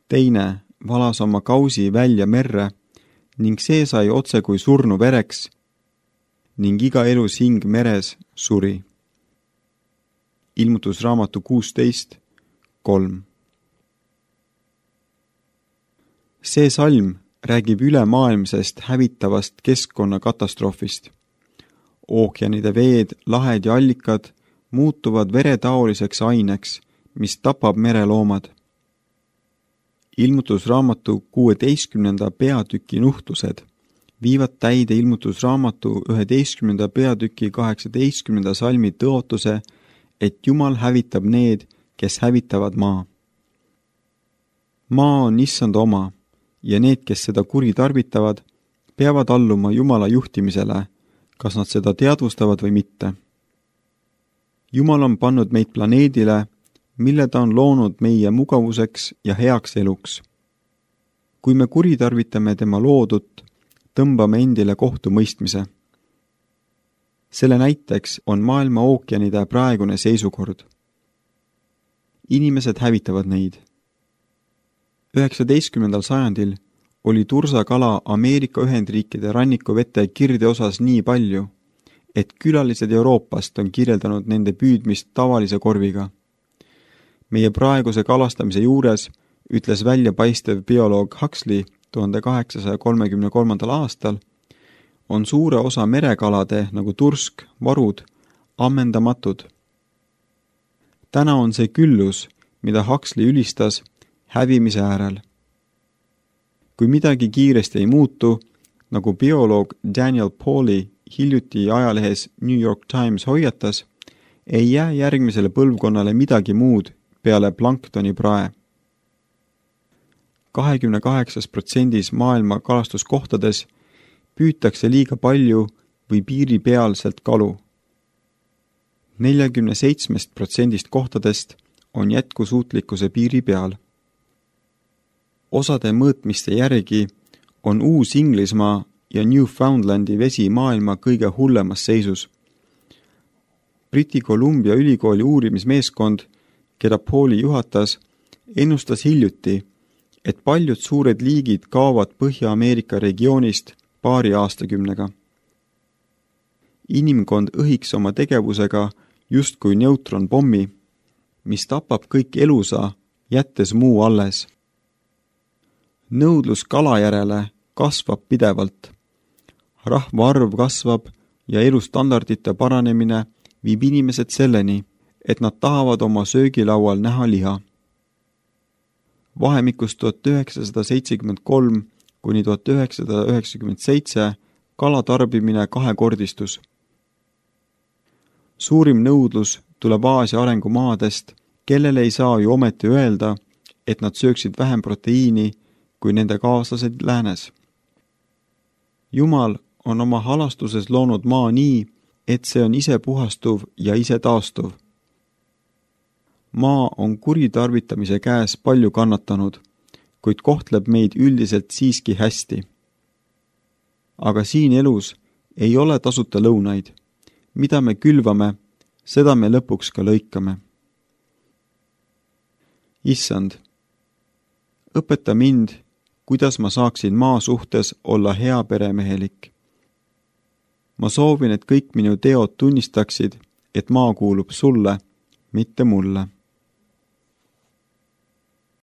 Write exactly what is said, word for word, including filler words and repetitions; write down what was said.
teine valas oma kausi välja merre ning see sai otse kui surnu vereks ning iga elus hing meres suri. Ilmutusraamatu kuusteist kolm. See salm räägib ülemaailmsest hävitavast keskkonnakatastroofist. Ookeanide veed, lahed ja allikad muutuvad veretaoliseks aineks, mis tapab mereloomad. Ilmutusraamatu kuueteistkümnenda peatüki nuhtlused viivad täide ilmutusraamatu üheteistkümnenda peatüki kaheksateistkümnenda salmi tõotuse, et Jumal hävitab need, kes hävitavad maa. Maa on issand oma ja need, kes seda kuri tarvitavad, peavad alluma Jumala juhtimisele, kas nad seda teadvustavad või mitte. Jumal on pannud meid planeedile, mille ta on loonud meie mugavuseks ja heaks eluks. Kui me kuritarvitame tema loodut, tõmbame endile kohtumõistmise. Selle näiteks on maailma ookeanide praegune seisukord. Inimesed hävitavad neid. üheksateistkümnendal sajandil oli tursakala Ameerika Ühendriikide rannikuvete kirdeosas nii palju, et külalised Euroopast on kirjeldanud nende püüdmist tavalise korviga. Meie praeguse kalastamise juures ütles väljapaistev bioloog Huxley tuhande kaheksasaja kolmekümne kolmandal aastal, on suure osa merekalade nagu tursk, varud, ammendamatud. Täna on see küllus, mida Huxley ülistas, hävimise äärel. Kui midagi kiiresti ei muutu, nagu bioloog Daniel Pauly hiljuti ajalehes New York Times hoiatas, ei jää järgmisele põlvkonnale midagi muud peale planktoni prae. kahekümne kaheksas protsendis maailma kalastuskohtades püütakse liiga palju või piiripealselt kalu. neljakümne seitsmest protsendist kohtadest on jätkusuutlikkuse piiri peal. Osade mõõtmiste järgi on Uus-Inglismaa ja Newfoundlandi vesi maailma kõige hullemas seisus. Briti Columbia ülikooli uurimismeeskond, keda Pauly juhatas, ennustas hiljuti, et paljud suured liigid kaovad Põhja-Ameerika regioonist paari aastakümnega. Inimkond õhiks oma tegevusega justkui neutronpommi, mis tapab kõik elusa, jättes muu alles. Nõudlus kala järele kasvab pidevalt. Rahvaarv kasvab ja elustandardite paranemine viib inimesed selleni, et nad tahavad oma söögilaual näha liha. Vahemikus tuhat üheksasada seitsekümmend kolm kuni tuhat üheksasada üheksakümmend seitse kalatarbimine kahekordistus. Suurim nõudlus tuleb Aasia arengumaadest, kellele ei saa ju ometi öelda, et nad sööksid vähem proteiini kui nende kaaslased läänes. Jumal on oma halastuses loonud maa nii, et see on ise puhastuv ja ise taastuv. Maa on kuritarvitamise käes palju kannatanud, kuid kohtleb meid üldiselt siiski hästi. Aga siin elus ei ole tasuta lõunaid. Mida me külvame, seda me lõpuks ka lõikame. Issand, õpeta mind, kuidas ma saaksin maa suhtes olla hea peremehelik. Ma soovin, et kõik minu teod tunnistaksid, et maa kuulub sulle, mitte mulle.